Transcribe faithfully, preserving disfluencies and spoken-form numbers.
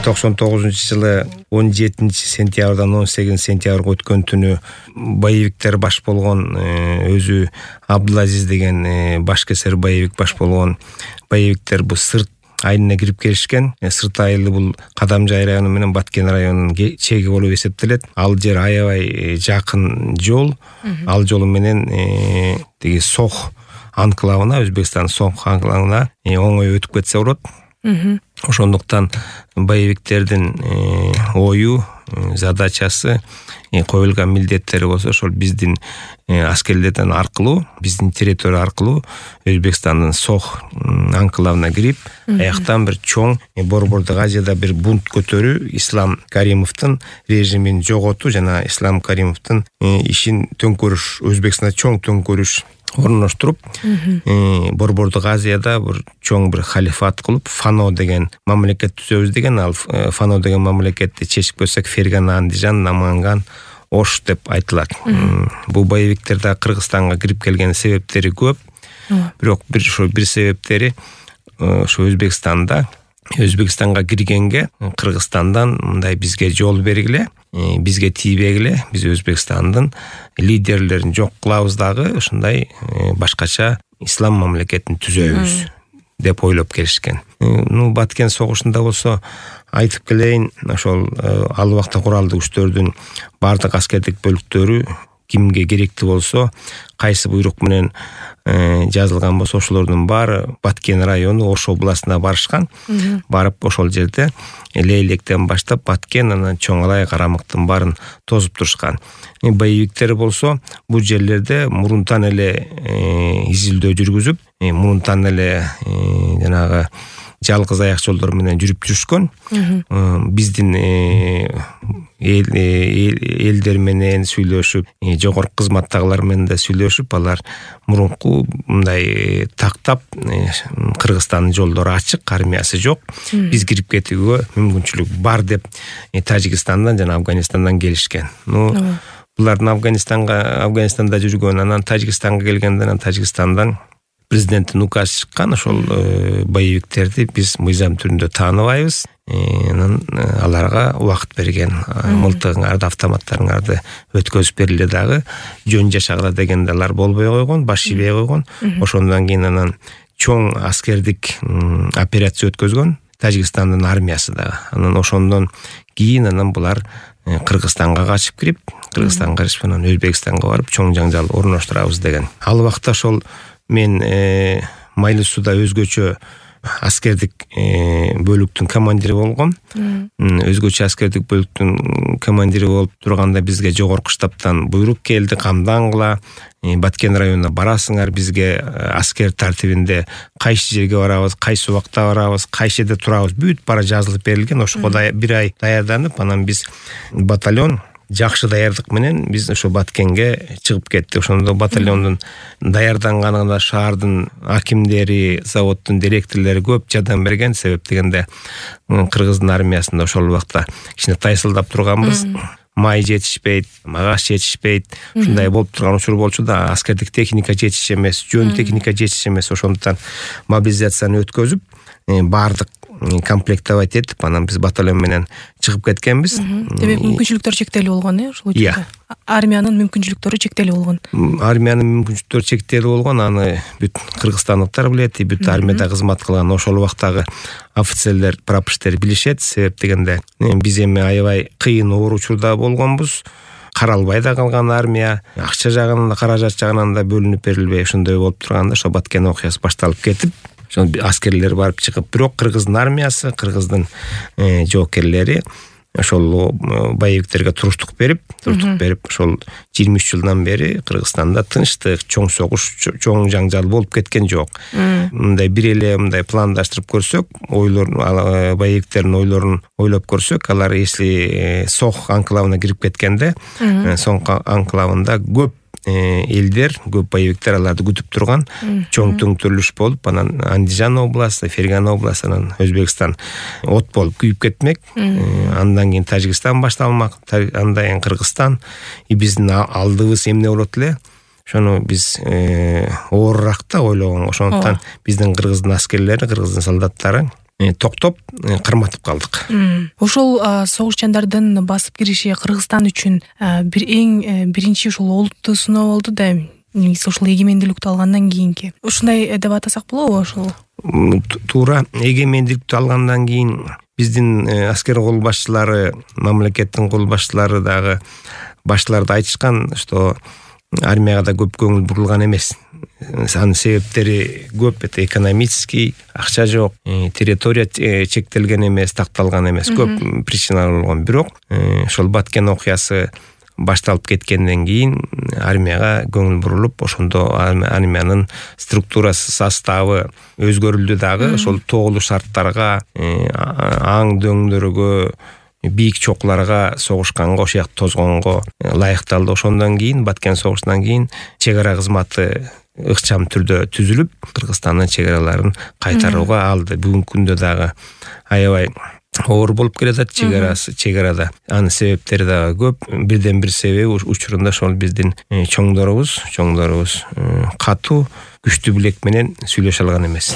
токсон тогузунчу жылы он жетинчи сентябрдан он сегизинчи сентябрга өткөн түнү боевиктер баш болгон өзү Абдулазиз деген башкесер боевик баш болгон боевиктер бул сырт айылына кирип келишкен. Сырт айылы бул Кадамжай району менен Баткен районунун чеги болуп эсептелет. Ал жер аябай жакын жол. Ал жолу менен тиги Сох анклавына, Өзбекстан Сох анклавына оңой өтүп кетсе болот. Ошондуктан боевиктердин ою, задачасы, коюлган милдеттери болсо ошол биздин аскерлерден аркылуу, биздин территория аркылуу Өзбекстандын Сох анклавына кирип, аяктан бир чоң Борбордук Азияда бир бунт көтөрүү, Ислам Каримовдун режимин жоготуу жана Ислам Каримовдун ишин төңкөрүш, Өзбекстанда чоң төңкөрүш орноштуруп, Борбордук Азияда бир чоң бир халифат кылып, Фано деген мамлекет түзөбүз деген. Ал Фано деген мамлекетти чечип көрсөк, Фергана, Андижан, Наманган, Ош деп айтылат. Бул боевиктер да Кыргызстанга кирип келген себептери көп. Бирок бир ошо бир себептери ошо Өзбекстанда Өзбекстанга киргенге Кыргызстандан мындай бизге жол бергиле, бизге тийбегиле, биз Өзбекстандын лидерлерин жок кылабыз дагы, ошондой башкача ислам мамлекетин түзөбүз деп ойлоп келишкен. Ну, Баткен согушунда болсо айтып келейин, ошол ал убакта куралдуу күчтөрдүн бардык аскердик бөлүктөрү кимге керектүү болсо, кайсы буйрук менен жазылган болсо, ошолордун баары Баткен району Ош областына барышкан. Барып ошол жерде Лейлектен баштап Баткен, анан Чоңалай, Карамыктын баарын тосуп турушкан. Боевиктер болсо бул жерлерде мурунтан эле изилдөө жүргүзүп, мурунтан эле жанагы жалгыз аяк жолдор менен жүрүп жүрүшкөн. Биздин элдер менен сүйлөшүп, жогорку кызматтагылар менен да сүйлөшүп, алар мурунку мындай тактап, Кыргызстандын жолдору ачык, армиясы жок, биз кирип кетүүгө мүмкүнчүлүк бар деп Тажикстандан жана Афганистандан келишкен. Ну, булардын Афганистанга, Афганистанда жүргөн, анан Тажикстанга келгенде, анан Тажикстандан президенттин указы чыккан, ошол боевиктерди биз мыйзам түрүндө тааныбайбыз. Анан аларга убакыт берген, мылтыгыңарды, автоматтарыңарды өткөзүп бергиле дагы, жөн жашагыла дегенде алар болбой койгон, баш ийбей койгон. Ошондон кийин анан чоң аскердик операция өткөзгөн Тажикстандын армиясы дагы. Анан ошондон кийин анан булар Кыргызстанга качып кирип, Кыргызстанга качып анан Өзбекстанга барып чоң жаңжал орноштурабыз деген. Ал убакта ошол мен Майлы сууда өзгөчө аскердик бөлүктүн командири болгом. Өзгөчө аскердик бөлүктүн командири болуп турганда бизге жогорку штабтан буйрук келди, камдангыла, Баткен районуна барасыңар, бизге аскер тартибинде кайсы жерге барабыз, кайсы убакта барабыз, кайсы жерде турабыз, бүт бара жазылып берилген. Ошого бир ай даярданып, анан биз батальон жакшы даярдык менен биз ошо Баткенге чыгып кеттик. Ошондо батальондун даярданганына шаардын акимдери, заводдун директорлору көп жардам берген. Себеп дегенде Кыргыздын армиясында ошол убакта кичине тайсылдап турганбыз. Май жетишпейт, магаш жетишпейт. Ушундай болуп турган учур болчу да, аскердик техника жетиш эмес, жөн техника жетиш эмес. Ошондуктан мобилизацияны өткөзүп, баардык комплектовать этип, анан биз батальон менен чыгып кеткенбиз. Демек мүмкүнчүлүктөр чектелүү болгон, э, ошол учурда. Армиянын мүмкүнчүлүктөрү чектелүү болгон. Армиянын мүмкүнчүлүктөрү чектелүү болгон, аны бүт кыргызстандыктар билет, бүт армияда кызмат кылган ошол убактагы офицерлер, прапорщиктер билишет. Себеп дегенде биз эми аябай кыйын оор учурда болгонбуз. Каралбай да калган армия, акча жагынан да, каражат жагынан да бөлүнүп берилбей, ошондой болуп турганда ошо Баткен окуясы башталып кетип, ошо аскерлер барып чыгып, бирок Кыргыздын армиясы, Кыргыздын жоокерлери ошол боевиктерге туруштук берип, туруштук берип, ошол жыйырма үч жылдан бери Кыргызстанда тынчтык, чоң согуш, чоң жаңжал болуп кеткен жок. Мындай бир эле мындай пландаштырып көрсөк, ойлор, боевиктердин ойлорун ойлоп көрсөк, алар если Сох анклавына кирип кеткенде, Сох анклавында көп элдер, көп боевиктер аларды күтүп турган, чоң төңкөрүлүш болуп, анан Андижан областы, Фергана областы, анан Өзбекстан от болуп күйүп кетмек. Андан кийин Тажикстан башталмак, андан кийин Кыргызстан. И биздин алдыбыз эмне болот эле? Ошону биз оорураак да ойлогон. Ошондуктан биздин Кыргыздын аскерлери, Кыргыздын солдаттары токтоп кырматып калдык. Ошол согушчандардын басып кириши Кыргызстан үчүн бир эң биринчи ушул олуттуу сыноо болду да, негизи ушул эгемендүүлүктү алгандан кийинки. Ушундай деп атасак болобу ошол? Туура, эгемендүүлүктү алгандан кийин биздин аскер кол башчылары, мамлекеттин кол башчылары дагы башталарда айтышкан, что армияга да көп көңүл бурулган эмес. Анын себептери көп, это экономический, акча жок, территория чектелген эмес, такталган эмес, көп причиналар болгон. Бирок ошол Баткен окуясы башталып кеткенден кийин армияга көңүл бурулуп, ошондо армиянын структурасы, составы өзгөрүлдү дагы. Ошол тоолуу шарттарга, аң дөңдөргө, бийик чокуларга согушканга, ошол жакта тозгонго ылайыкталды. Ошондон кийин Баткен согушунан кийин чек ара кызматы ыкчам түрдө түзүлүп, Кыргызстандын чек араларын кайтарууга алды. Бүгүнкү күндө дагы аябай оор болуп келатат чек арасы, чек арада. Анын себептери дагы көп. Бирден бир себеби учурунда ошол биздин чоңдорубуз, чоңдорубуз катуу, күчтүү билек менен сүйлөшө алган эмес.